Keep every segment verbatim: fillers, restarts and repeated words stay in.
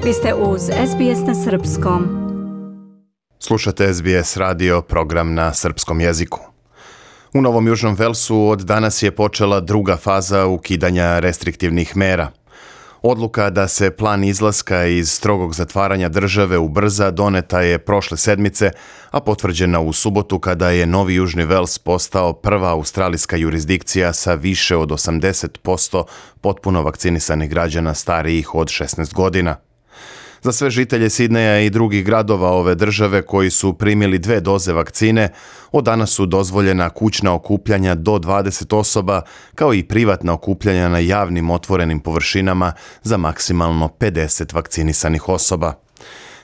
Vi ste uz S B S na srpskom. Slušate S B S radio, program na srpskom jeziku. U Novom Južnom Velsu od danas je počela druga faza ukidanja restriktivnih mera. Odluka da se plan izlaska iz strogog zatvaranja države ubrza doneta je prošle sedmice, a potvrđena u subotu kada je Novi Južni Vels postao prva australijska jurisdikcija sa više od osamdeset posto potpuno vakcinisanih građana starijih od šesnaest godina. Za sve žitelje Sidneja i drugih gradova ove države koji su primili dve doze vakcine, od danas su dozvoljena kućna okupljanja do dvadeset osoba, kao i privatna okupljanja na javnim otvorenim površinama za maksimalno pedeset vakcinisanih osoba.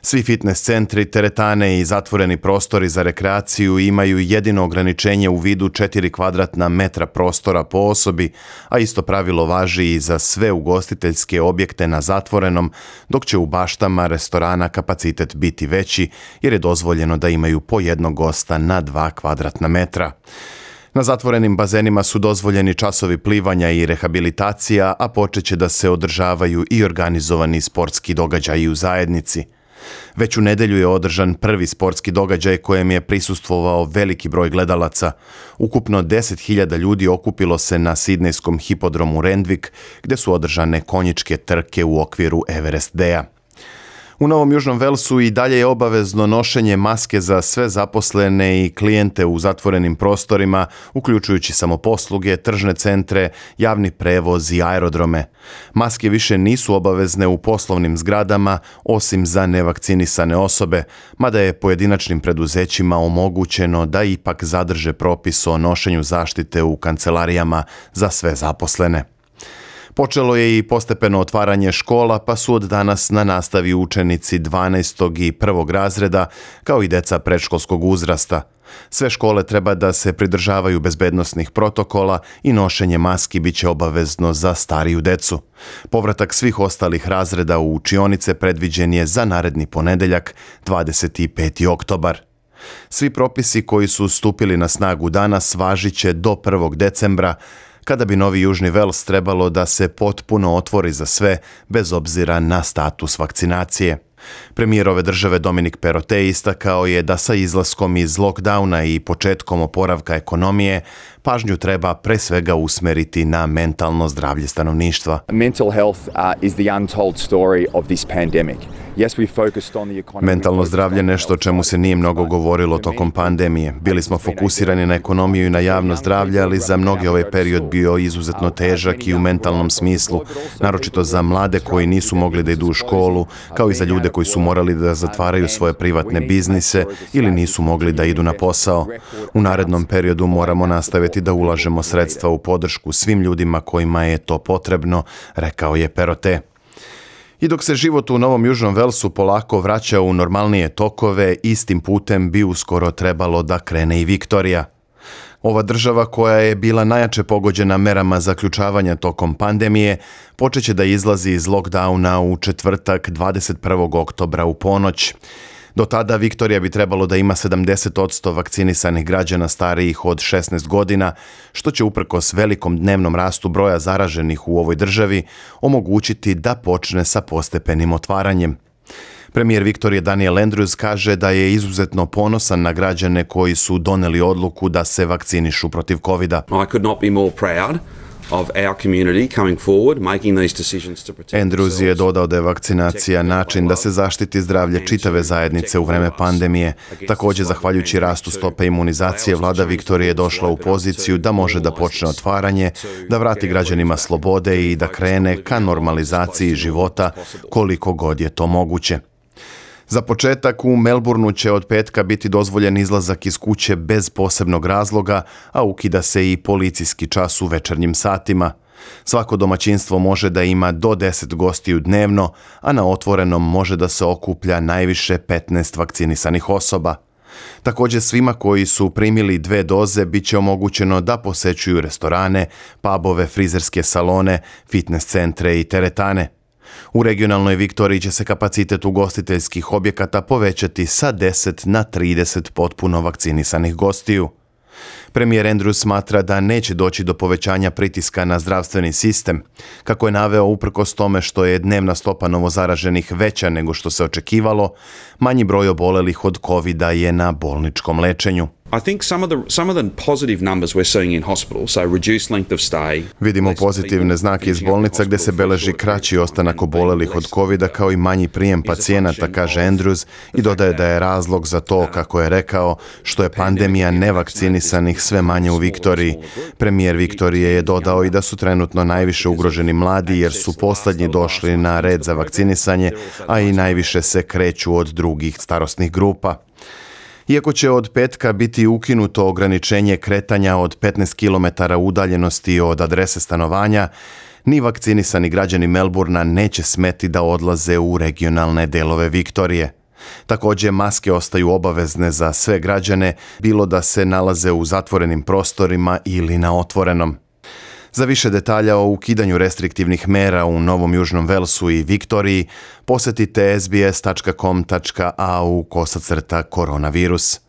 Svi fitness centri, teretane i zatvoreni prostori za rekreaciju imaju jedino ograničenje u vidu četiri kvadratna metra prostora po osobi, a isto pravilo važi i za sve ugostiteljske objekte na zatvorenom, dok će u baštama restorana kapacitet biti veći jer je dozvoljeno da imaju po jednog gosta na dva kvadratna metra. Na zatvorenim bazenima su dozvoljeni časovi plivanja i rehabilitacija, a počeće da se održavaju i organizovani sportski događaji u zajednici. Već u nedjelju je održan prvi sportski događaj kojem je prisustvovao veliki broj gledalaca. Ukupno deset hiljada ljudi okupilo se na sidnejskom hipodromu Randwick, gdje su održane konjičke trke u okviru Everest Daya. U Novom Južnom Velsu i dalje je obavezno nošenje maske za sve zaposlene i klijente u zatvorenim prostorima, uključujući samoposluge, tržne centre, javni prevoz i aerodrome. Maske više nisu obavezne u poslovnim zgradama, osim za nevakcinisane osobe, mada je pojedinačnim preduzećima omogućeno da ipak zadrže propis o nošenju zaštite u kancelarijama za sve zaposlene. Počelo je i postepeno otvaranje škola, pa su od danas na nastavi učenici dvanaestog i prvog razreda, kao i deca predškolskog uzrasta. Sve škole treba da se pridržavaju bezbednosnih protokola i nošenje maski bit će obavezno za stariju decu. Povratak svih ostalih razreda u učionice predviđen je za naredni ponedeljak, dvadeset peti oktobar. Svi propisi koji su stupili na snagu danas važit će do prvog decembra, kada bi Novi Južni Vels trebalo da se potpuno otvori za sve, bez obzira na status vakcinacije. Premijer ove države Dominic Perrottet istakao je da sa izlaskom iz lockdowna i početkom oporavka ekonomije pažnju treba pre svega usmeriti na mentalno zdravlje stanovništva. Mental health uh, is the untold story of this pandemic. Yes, we focused on the economy. Mentalno zdravlje je nešto o čemu se nije mnogo govorilo tokom pandemije. Bili smo fokusirani na ekonomiju i na javno zdravlje, ali za mnoge ovaj period bio izuzetno težak i u mentalnom smislu, naročito za mlade koji nisu mogli da idu u školu, kao i za ljude koji su morali da zatvaraju svoje privatne biznise ili nisu mogli da idu na posao. U narednom periodu moramo nastaviti da ulažemo sredstva u podršku svim ljudima kojima je to potrebno, rekao je Perrottet. I dok se život u Novom Južnom Velsu polako vraća u normalnije tokove, istim putem bi uskoro trebalo da krene i Viktorija. Ova država, koja je bila najjače pogođena merama zaključavanja tokom pandemije, počeće da izlazi iz lockdowna u četvrtak dvadeset prvog oktobra u ponoć. Do tada Viktorija bi trebalo da ima sedamdeset posto vakcinisanih građana starijih od šesnaest godina, što će uprkos velikom dnevnom rastu broja zaraženih u ovoj državi omogućiti da počne sa postepenim otvaranjem. Premijer Viktorije Daniel Andrews kaže da je izuzetno ponosan na građane koji su doneli odluku da se vakcinišu protiv kovida. I could not be more proud of our community coming forward, making these decisions to protect Andrews je dodao da je vakcinacija način da se zaštiti zdravlje čitave zajednice u vreme pandemije. Također, zahvaljujući rastu stope imunizacije, vlada Viktorije je došla u poziciju da može da počne otvaranje, da vrati građanima slobode i da krene ka normalizaciji života koliko god je to moguće. Za početak, u Melbourneu će od petka biti dozvoljen izlazak iz kuće bez posebnog razloga, a ukida se i policijski čas u večernjim satima. Svako domaćinstvo može da ima do deset gostiju dnevno, a na otvorenom može da se okuplja najviše petnaest vakcinisanih osoba. Također, svima koji su primili dve doze bit će omogućeno da posećuju restorane, pubove, frizerske salone, fitness centre i teretane. U regionalnoj Viktoriji će se kapacitet ugostiteljskih objekata povećati sa deset na trideset potpuno vakcinisanih gostiju. Premijer Andrews smatra da neće doći do povećanja pritiska na zdravstveni sistem. Kako je naveo, uprkos tome što je dnevna stopa novozaraženih veća nego što se očekivalo, manji broj obolelih od kovida je na bolničkom lečenju. I think some of the some of the positive numbers we're seeing in hospital, so reduced length of stay. Vidimo pozitivne znake iz bolnica gdje se beleži kraći ostanak obolelih od kovida kao i manji prijem pacijenata, kaže Andrews, i dodaje da je razlog za to, kako je rekao, što je pandemija nevakcinisanih sve manje u Viktoriji. Premijer Viktorije je dodao i da su trenutno najviše ugroženi mladi jer su posljednji došli na red za vakcinisanje, a i najviše se kreću od drugih starosnih grupa. Iako će od petka biti ukinuto ograničenje kretanja od petnaest kilometara udaljenosti od adrese stanovanja, ni vakcinisani građani Melbourna neće smeti da odlaze u regionalne delove Viktorije. Također, maske ostaju obavezne za sve građane, bilo da se nalaze u zatvorenim prostorima ili na otvorenom. Za više detalja o ukidanju restriktivnih mera u Novom Južnom Velsu i Viktoriji posjetite sbs.com.au kosacrta koronavirus.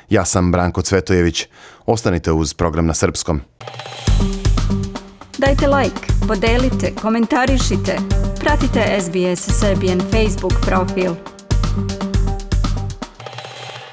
Ja sam Branko Cvetojević. Ostanite uz program na srpskom. Dajte like, podelite, komentarišite. Pratite S B S Serbian Facebook profil.